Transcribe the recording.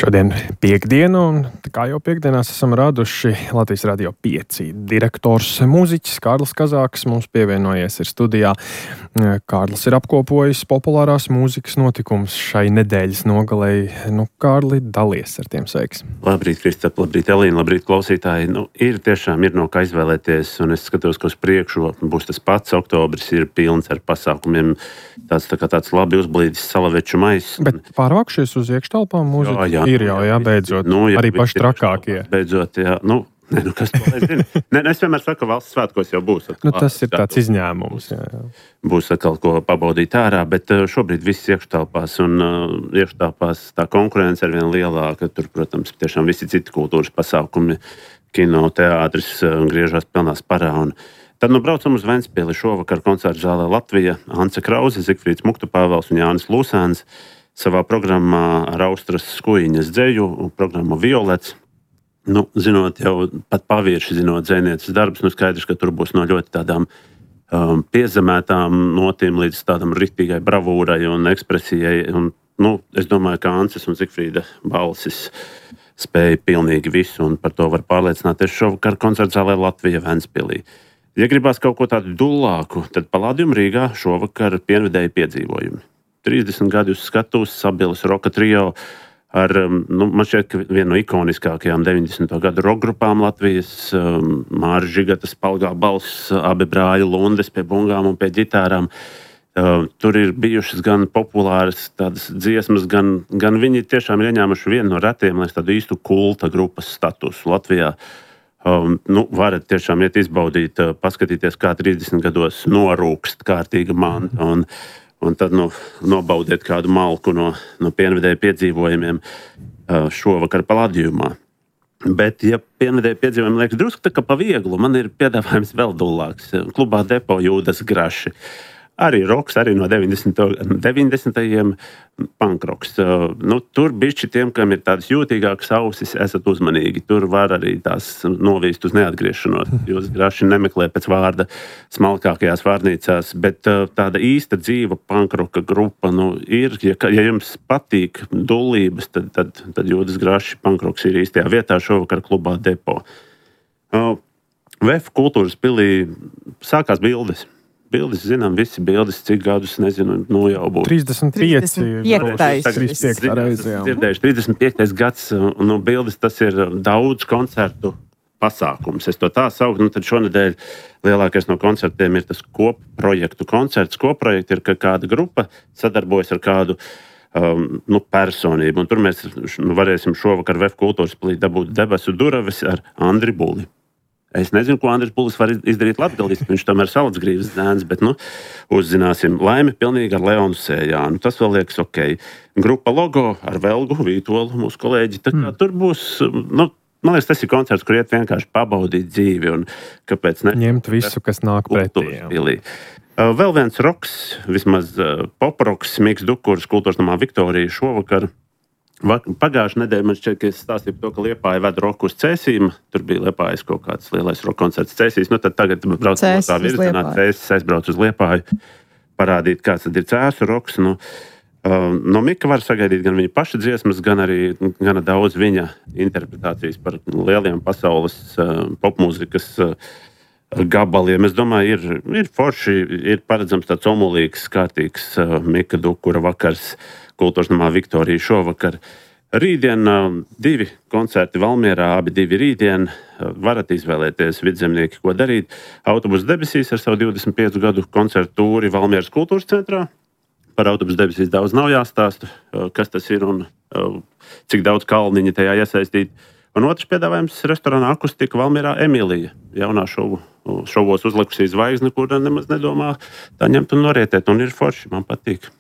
Šodien piekdiena, un kā jau piekdienās esam raduši Latvijas Radio 5 direktors mūziķis Kārlis Kazāks mums pievienojies ir studijā. Kārlis ir apkopojis populārās mūzikas notikumus šai nedēļas nogalei. Kārli, dalies ar tiem sveiks. Labrīt, Kristap, labrīt, Elīna, labrīt, klausītāji. Ir no kā izvēlēties, un es skatos, ka uz priekšu būs tas pats. Oktobris ir pilns ar pasākumiem, tāds labi uzblīdis salaveču maiss. Bet pārvākšies uz iekštelpām mūziku? Ir jau, beidzot. Arī paši trakākie. Beidzot, jā. Kas to lai zina? Es vienmēr saku, ka valsts svētkos jau būs. Tas ir tāds izņēmums. Jā. Būs atkal ko pabaudīt ārā, bet šobrīd viss iekštelpās, un iekštelpās tā konkurence ir vien lielāka. Tur, protams, tiešām visi citi kultūras pasākumi, kino, teātris griežās pilnā sparā. Tad braucam uz Ventspili šovakar koncertu zālē Latvija. Ance Krause, Zigfrīds Muktupāvels un Jānis Lūsēns savā programmā ar Austras Skujiņas dzeju un programmu Violets. Zinot jau pat pavirši, zinot dzejnieces darbus, skaidrs, ka tur būs no ļoti tādām piezemētām notīm līdz tādam riktīgai bravūrai un ekspresijai. Es domāju, ka Ances un Zigfrīda balsis spēja pilnīgi visu, un par to var pārliecināties šovakar koncertu zālē Latvija Ventspilī. Ja gribās kaut ko tādu dullāku, tad Palladium Rīgā šovakar pienvedēju piedzīvojumi. 30 gadi uz skatuves, Sabilas roka trio ar, man šķiet, ka vienu no ikoniskākajām 90. gadu roka grupām Latvijas, Māris Žigatas palgā balss, abi brāļi Lundes pie bungām un pie ģitārām. Tur ir bijušas gan populāras tādas dziesmas, gan viņi tiešām ir ieņēmuši vienu no retiem, lai tādu īstu kulta grupas statusu Latvijā. Varat tiešām iet izbaudīt, paskatīties, kā 30 gados norūkst kārtīga manta un tad nobaudiet kādu malku no pienvedēju piedzīvojumiem šovakar Palladiumā. Bet, ja pienvedēju piedzīvojumi liekas drusku tā kā pa vieglu, man ir piedāvājums vēl dullāks. Klubā Depo Jūdas Graši. Arī roks, arī no 90. punkroks. Tur bišķi tiem, kam ir tādas jūtīgākas ausis, esat uzmanīgi. Tur var arī tās novīst uz neatgriešanos. Jūs graši nemeklē pēc vārda smalkākajās vārnīcās, bet tāda īsta dzīva punkroka grupa ir. Ja jums patīk dullības, tad Jūdas Graši punkroks ir īstajā vietā šovakar klubā Depo. VF kultūras pilī sākās bildes. Bildes, zinām, visi bildes, cik gadus, nezinu, jau būs. 35. 35. gads, bildes, tas ir daudz koncertu pasākums. Es to tā sauktu, tad šonedēļ lielākais no koncertiem ir tas kopprojektu koncerts. Kopprojekti ir, ka kāda grupa sadarbojas ar kādu personību, un tur mēs varēsim šovakar VF kultūras pilī dabūt debesu duravis ar Andri Buli. Es nezinu, ko Andris Bulis var izdarīt latgaliski, viņš tomēr Salacgrīvas dēns, bet uzzināsim. Laimi pilnīgi ar Leonu Sējānu. Tas vēl liekas ok. Grupa Logo ar Velgu Vītolu, mūsu kolēģi. Tur būs, man liekas, tas ir koncerts, kur iet vienkārši pabaudīt dzīvi un kāpēc ne? Ņemt visu, kas nāk pretī. Vēl viens roks, vismaz poproks, Miks Dukurs, kultūras namā Viktorija šovakar. Pagājušā nedēļa man šķiet, ka es stāstīju par to, ka Liepāja ved roku uz Cēsīm. Tur bija Liepājas kaut kāds lielais roka koncerts Cēsīs. Tad tagad brauc no tā virzienā, Cēsis aizbrauc uz Liepāju, parādīt, kāds tad ir Cēsu roks. No Mika var sagaidīt gan viņa paša dziesmas, gan arī gana daudz viņa interpretācijas par lieliem pasaules popmūzikas gabaliem. Es domāju, ir forši, ir paredzams tāds omulīgs, kārtīgs Mika Dukura vakars kultūras namā Viktorija šovakar. Rītdien 2 koncerti Valmierā, abi 2 rītdien. Varat izvēlēties vidzemnieki, ko darīt. Autobus debesīs ar savu 25 gadu koncertu tūri Valmieras kultūras centrā. Par autobus debesīs daudz nav jāstāsta, kas tas ir un cik daudz kalniņa tajā iesaistīt. Un otrs piedāvājums restorānā Akustika Valmierā Emīlija. Jaunā šovos uzlikusī zvaigzne, kur nemaz nedomā tā ņemt un norietēt. Un ir forši, man patīk.